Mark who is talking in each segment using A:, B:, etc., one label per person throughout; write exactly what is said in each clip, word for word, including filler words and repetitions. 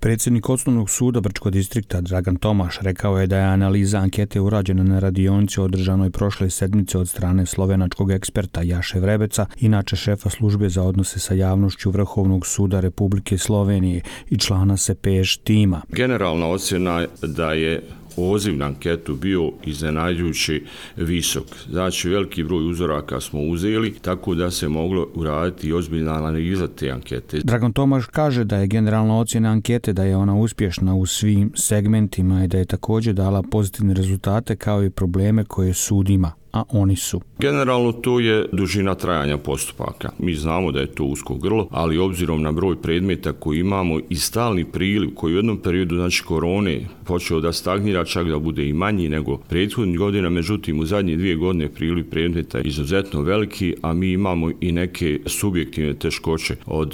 A: Predsjednik Osnovnog suda Brčkog distrikta Dragan Tomaš rekao je da je analiza ankete urađena na radionici održanoj prošle sedmice od strane slovenačkog eksperta Jaše Vrebeca, inače šefa službe za odnose sa javnošću Vrhovnog suda Republike Slovenije i člana S P Š tima.
B: Generalna ocjena je da je odziv na anketu bio iznenađujući visok. Znači, veliki broj uzoraka smo uzeli, tako da se moglo uraditi i ozbiljna analiza te ankete.
A: Dragan Tomaš kaže da je generalna ocjena ankete da je ona uspješna u svim segmentima i da je također dala pozitivne rezultate kao i probleme koje sud ima, a oni su.
B: Generalno to je dužina trajanja postupaka. Mi znamo da je to usko grlo, ali obzirom na broj predmeta koji imamo i stalni priliv koji u jednom periodu, znači korone, počeo da stagnira, čak da bude i manji nego prethodnih godina, međutim u zadnje dvije godine priliv predmeta je izuzetno veliki, a mi imamo i neke subjektivne teškoće od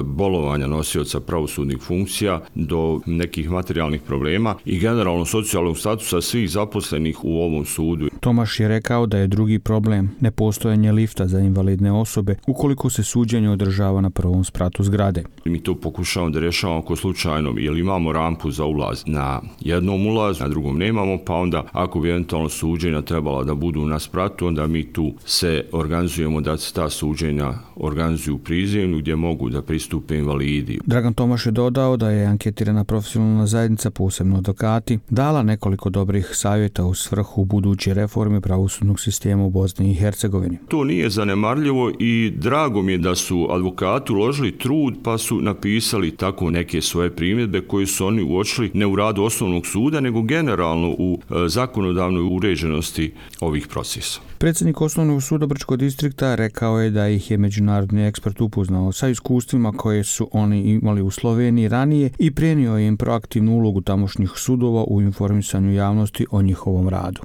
B: bolovanja nosioca pravosudnih funkcija do nekih materijalnih problema i generalno socijalnog statusa svih zaposlenih u ovom sudu.
A: Tomaš je rekao da je drugi problem nepostojanje lifta za invalidne osobe ukoliko se suđenje održava na prvom spratu zgrade.
B: Mi to pokušavamo da rješavamo ako slučajno, jer imamo rampu za ulaz na jednom ulazu, na drugom nemamo, pa onda ako bi eventualno suđenja trebala da budu na spratu, onda mi tu se organizujemo da se ta suđenja organizuju u prizemlju gdje mogu da pristupe invalidi.
A: Dragan Tomaš je dodao da je anketirana profesionalna zajednica, posebno advokati, dala nekoliko dobrih savjeta u svrhu buduće reforme pravosudnog sistema u Bosni i Hercegovini.
B: To nije zanemarljivo i drago mi je da su advokati uložili trud pa su napisali tako neke svoje primjedbe koje su oni uočili ne u radu Osnovnog suda, nego generalno u zakonodavnoj uređenosti ovih procesa.
A: Predsjednik Osnovnog suda Brčkog distrikta rekao je da ih je međunarodni ekspert upoznao sa iskustvima koje su oni imali u Sloveniji ranije i prenio im proaktivnu ulogu tamošnjih sudova u informisanju javnosti o njihovom radu.